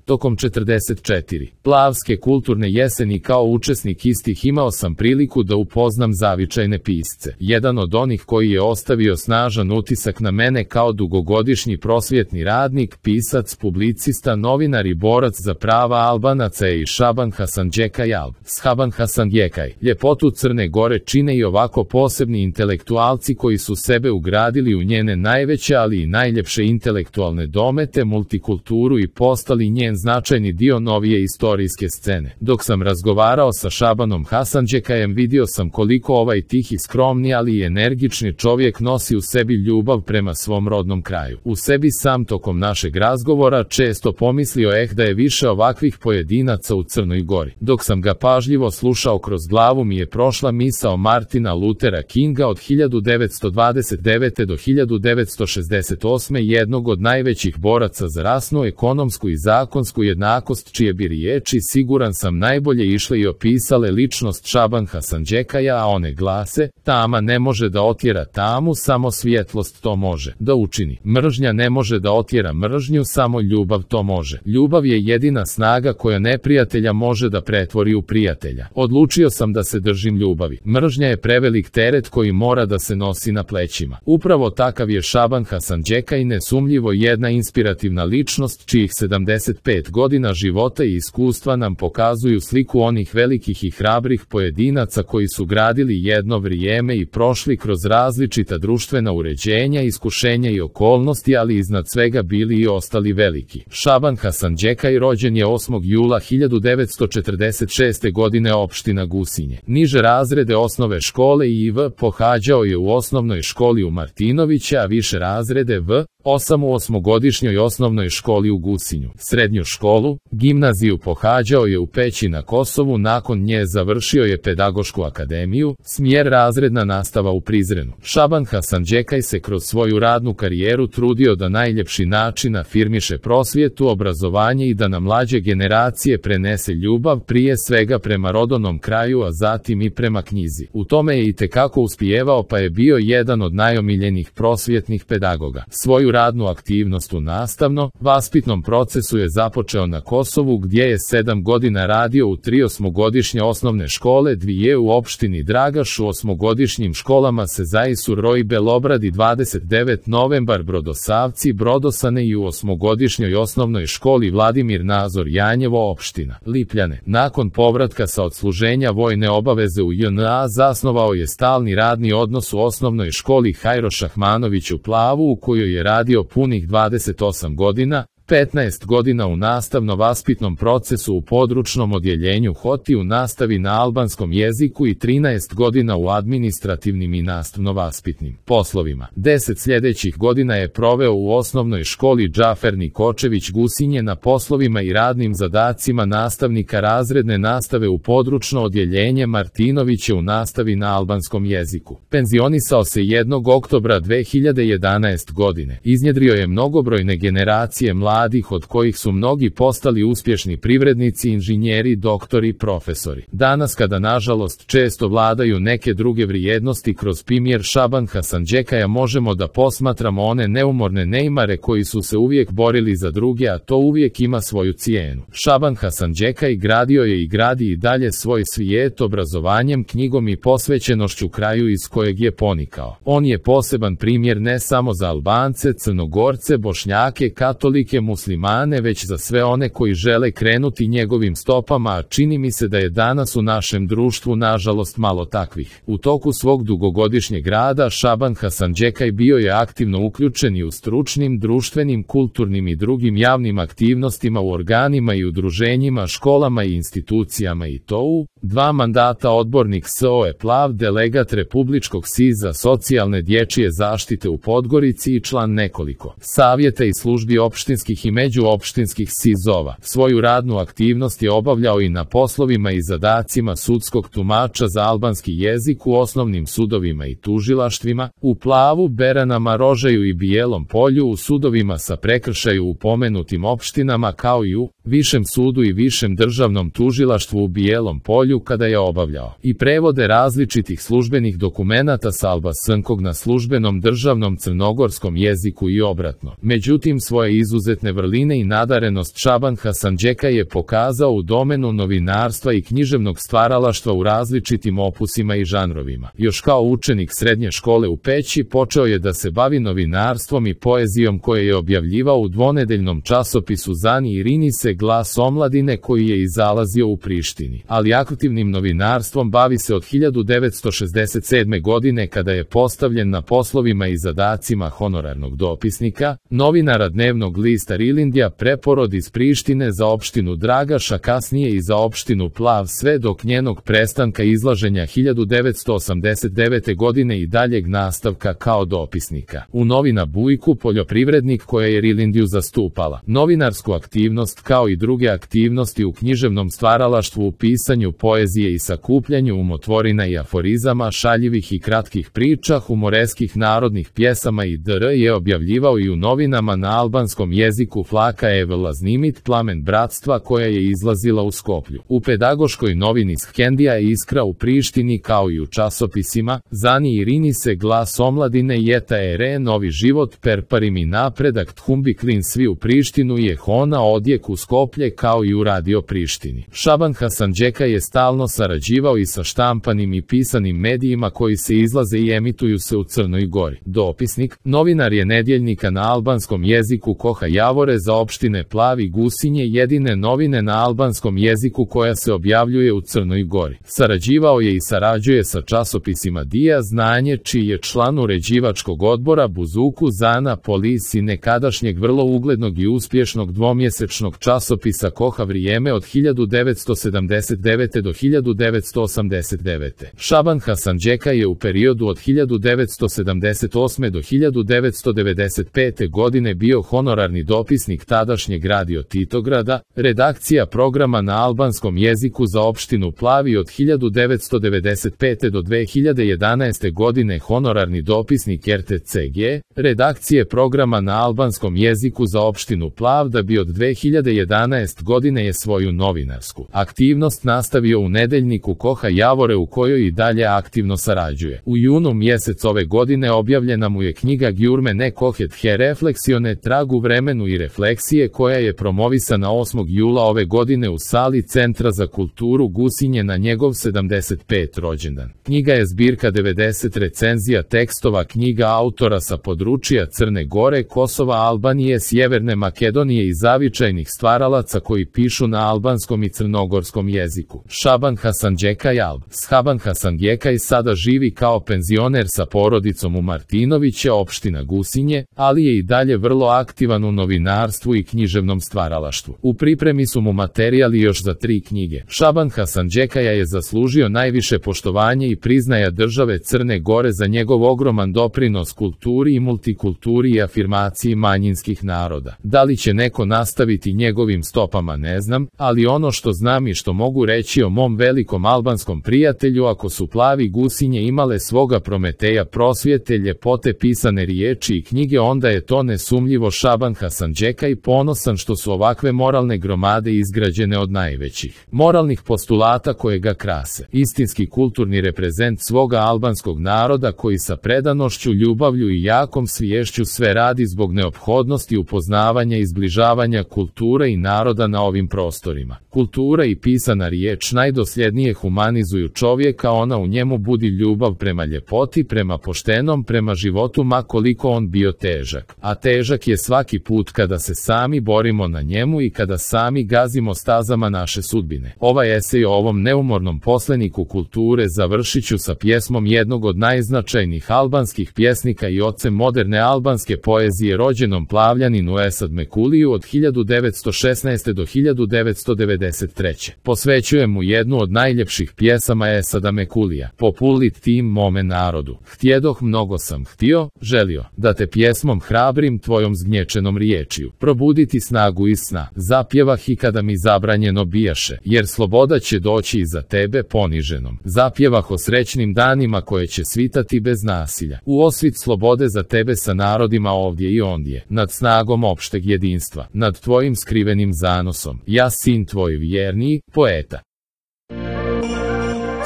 Tokom 44. Plavske kulturne jeseni kao učesnik istih imao sam priliku da upoznam zavičajne pisce. Jedan od onih koji je ostavio snažan utisak na mene kao dugogodišnji prosvjetni radnik, pisac, publicista, novinar i borac za prava Albanaca je i Šaban Hasanđekaj Alb. Šaban Hasanđekaj. Ljepotu Crne Gore čine i ovako posebni intelektualci koji su sebe ugradili u njene najveće ali i najljepše intelektualne domete, multikulturu i postali njen značajni dio novije istorijske scene. Dok sam razgovarao sa Šabanom Hasanđekajem vidio sam koliko ovaj tihi, skromni ali i energični čovjek nosi u sebi ljubav prema svom rodnom kraju. U sebi sam tokom našeg razgovora često pomislio da je više ovakvih pojedinaca u Crnoj Gori. Dok sam ga pažljivo slušao kroz glavu mi je prošla misao Martina Luthera Kinga od 1929. do 1968. jednog od najvećih boraca za rasnu, ekonomsku i zakonsku jednakost, čije bi riječi, siguran sam, najbolje išle i opisale ličnost Šaban Hasanđekaja, a one glase: tama ne može da otjera tamu, samo svjetlost to može da učini. Mržnja ne može da otjera mržnju, samo ljubav to može. Ljubav je jedina snaga koja neprijatelja može da pretvori u prijatelja. Odlučio sam da se držim ljubavi. Mržnja je prevelik teret koji mora da se nosi na plećima. Upravo takav je Šaban Hasanđekaj, nesumnjivo jedna inspirativna ličnost čijih 75 godina života i iskustva nam pokazuju sliku onih velikih i hrabrih pojedinaca koji su gradili jedno vrijeme i prošli kroz različita društvena uređenja, iskušenja i okolnosti, ali iznad svega bili i ostali veliki. Šaban Hasanđekaj rođen je 8. jula 1946. godine, opština Gusinje. Niže razrede osnove škole i IV pohađao je u osnovnoj školi u Martinovića, a više razrede V8 u osmogodišnjoj osnovnoj školi u Gusinju. Srednju školu, gimnaziju pohađao je u Peći na Kosovu, nakon nje završio je pedagošku akademiju, smjer razredna nastava u Prizrenu. Šaban Hasanđekaj se kroz svoju radnu karijeru trudio da najljepši način afirmiše prosvjetu, obrazovanje i da na mlađe generacije prenese ljubav, prije svega prema rodnom kraju, a zatim i prema knjizi. U tome je itekako uspijevao, pa je bio jedan od najomiljenijih prosvjetnih pedagoga. Svoju radnu aktivnost u nastavno-vaspitnom procesu je započeo na Kosovu, gdje je 7 godina radio u 3 osmogodišnje osnovne škole, 2 u opštini Dragaš, u osmogodišnjim školama Sezaisu, Roj, Belobradi, 29 Novembar, Brodosavci, Brodosane i u osmogodišnjoj osnovnoj školi Vladimir Nazor, Janjevo, opština Lipljane. Nakon povratka sa odsluženja vojne obaveze u JNA zasnovao je stalni radni odnos u osnovnoj školi Hajro Šahmanović u Plavu, u kojoj je radio punih 28 godina, 15 godina u nastavno-vaspitnom procesu u područnom odjeljenju HOTI u nastavi na albanskom jeziku i 13 godina u administrativnim i nastavno-vaspitnim poslovima. 10 sljedećih godina je proveo u osnovnoj školi Džafer Nikočević Gusinje na poslovima i radnim zadacima nastavnika razredne nastave u područno odjeljenje Martinoviće u nastavi na albanskom jeziku. Penzionisao se 1. oktobra 2011. godine. Iznjedrio je mnogobrojne generacije mladih, od kojih su mnogi postali uspješni privrednici, inženjeri, doktori, profesori. Danas, kada nažalost često vladaju neke druge vrijednosti, kroz primjer Šaban Hasanđekaja možemo da posmatramo one neumorne neimare koji su se uvijek borili za druge, a to uvijek ima svoju cijenu. Šaban Hasanđekaj gradio je i gradi i dalje svoj svijet obrazovanjem, knjigom i posvećenošću kraju iz kojeg je ponikao. On je poseban primjer ne samo za Albance, Crnogorce, Bošnjake, katolike, muslimane, već za sve one koji žele krenuti njegovim stopama, a čini mi se da je danas u našem društvu nažalost malo takvih. U toku svog dugogodišnjeg rada Šaban Hasanđekaj bio je aktivno uključen i u stručnim, društvenim, kulturnim i drugim javnim aktivnostima u organima i udruženjima, školama i institucijama, i to u 2 mandata odbornik SOE Plav, delegat Republičkog SIZ-a socijalne dječje zaštite u Podgorici i član nekoliko savjeta i službi opštinskih i međuopštinskih SIZ-ova. Svoju radnu aktivnost je obavljao i na poslovima i zadacima sudskog tumača za albanski jezik u osnovnim sudovima i tužilaštvima, u Plavu, Beranama, Rožaju i Bijelom Polju, u sudovima sa prekršaju u pomenutim opštinama, kao i u Višem sudu i Višem državnom tužilaštvu u Bijelom Polju kada je obavljao i prevode različitih službenih dokumenata sa albanskog na službenom državnom crnogorskom jeziku i obratno. Međutim, svoje izuzetne vrline i nadarenost Šaban Hasanđeka je pokazao u domenu novinarstva i književnog stvaralaštva u različitim opusima i žanrovima. Još kao učenik srednje škole u Peći počeo je da se bavi novinarstvom i poezijom koje je objavljivao u dvonedeljnom časopisu Zani i Rinise Glas omladine koji je izalazio u Prištini. Ali aktivnim novinarstvom bavi se od 1967. godine kada je postavljen na poslovima i zadacima honorarnog dopisnika, novinara dnevnog lista Rilindja Preporod iz Prištine za opštinu Dragaš, a kasnije i za opštinu Plav sve dok njenog prestanka izlaženja 1989. godine i daljeg nastavka kao dopisnika. U novina Bujku poljoprivrednik koja je Rilindju zastupala. Novinarsku aktivnost kao i druge aktivnosti u književnom stvaralaštvu u pisanju poezije i sakupljanju umotvorina i aforizama, šaljivih i kratkih priča, humoreskih narodnih pjesama i dr. je objavljivao i u novinama na albanskom jeziku Flaka Evela Znimit Plamen bratstva koja je izlazila u Skoplju. U pedagoškoj novini Skendija je Iskra u Prištini kao i u časopisima Zani i Rinise Glas omladine Jeta Ere Novi život Perparim i napredak Thumbi Klin svi u Prištinu je Hona odjek u Skoplje kao i u Radio Prištini. Šaban Hasanđeka je stalno sarađivao i sa štampanim i pisanim medijima koji se izlaze i emituju se u Crnoj Gori. Dopisnik, novinar je nedjeljnika na albanskom jeziku Koha Javore za opštine Plav i Gusinje, jedine novine na albanskom jeziku koja se objavljuje u Crnoj Gori. Sarađivao je i sarađuje sa časopisima Dija Znanje, čiji je član uređivačkog odbora Buzuku Zana Polis i nekadašnjeg vrlo uglednog i uspješnog dvomjesečnog časopisa Koha Vrijeme od 1979. do 1989. Šaban Hasanđeka je u periodu od 1978. do 1995. godine bio honorarni dopisnik tadašnjeg Radio Titograda, redakcija programa na albanskom jeziku za opštinu Plavi od 1995. do 2011. godine honorarni dopisnik RTCG, redakcije programa na albanskom jeziku za opštinu Plav da bi od 2011. godine je svoju novinarsku aktivnost nastavio u nedeljniku Koha Javore u kojoj i dalje aktivno sarađuje. U junu mjesec ove godine objavljena mu je knjiga Gjurme ne Kohet he refleksione trag u vremenu i refleksije koja je promovisana 8. jula ove godine u sali Centra za kulturu Gusinje na njegov 75. rođendan. Knjiga je zbirka 90 recenzija tekstova knjiga autora sa područja Crne Gore, Kosova, Albanije, Sjeverne Makedonije i zavičajnih stvaralaca koji pišu na albanskom i crnogorskom jeziku. Šaban Hasanđeka Jalb. Šaban Hasanđeka i sada živi kao penzioner sa porodicom u Martinoviće, opština Gusinje, ali je i dalje vrlo aktivan u novinarstvu i književnom stvaralaštvu. U pripremi su mu materijali još za 3 knjige. Šaban Hasanđeka je zaslužio najviše poštovanje i priznaja države Crne Gore za njegov ogroman doprinos kulturi i multikulturi i afirmaciji manjinskih naroda. Da li će neko nastaviti njegovim stopama ne znam, ali ono što znam i što mogu reći o mom velikom albanskom prijatelju, ako su Plavi Gusinje imale svoga Prometeja prosvjete, ljepote, pisane riječi i knjige, onda je to nesumnjivo Šaban Hasanđeka i ponosan što su ovakve moralne gromade izgrađene od najvećih moralnih postulata koje ga krase. Istinski kulturni reprezent svoga albanskog naroda koji sa predanošću, ljubavlju i jakom sviješću sve radi zbog neophodnosti upoznavanja i zbližavanja kulture i naroda na ovim prostorima. Kultura i pisana riječ najdosljednije humanizuju čovjeka, ona u njemu budi ljubav prema ljepoti, prema poštenom, prema životu ma koliko on bio težak. A težak je svaki put kada se sami borimo na njemu i kada sami gazimo stazama naše sudbine. Ovaj esej o ovom neumornom posleniku kulture završit ću sa pjesmom jednog od najznačajnijih albanskih pjesnika i ocem moderne albanske poezije, rođenom Plavljaninu Esad Mekuliju od 1916. do 1993. Posvećujem mu jednu od najljepših pjesama Esada Mekulija. Populit tim mome narodu. Htjedoh, mnogo sam htio, želio, da te pjesmom hrabrim tvojom zgnječenom riječiju. Probuditi snagu iz sna. Zapjevah i kada mi zabranjeno bijaše, jer sloboda će doći iza tebe poniženom. Zapjevah o srećnim danima koje će svitati bez nasilja. U osvit slobode za tebe sa narodima ovdje i ondje, nad snagom opšteg jedinstva, nad tvojim skrivenim iskrenim zanosom, ja sin tvoj vjerni, poeta.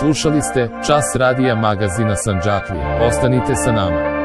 Slušali ste Čas radija magazina Sandžaklija. Ostanite sa nama.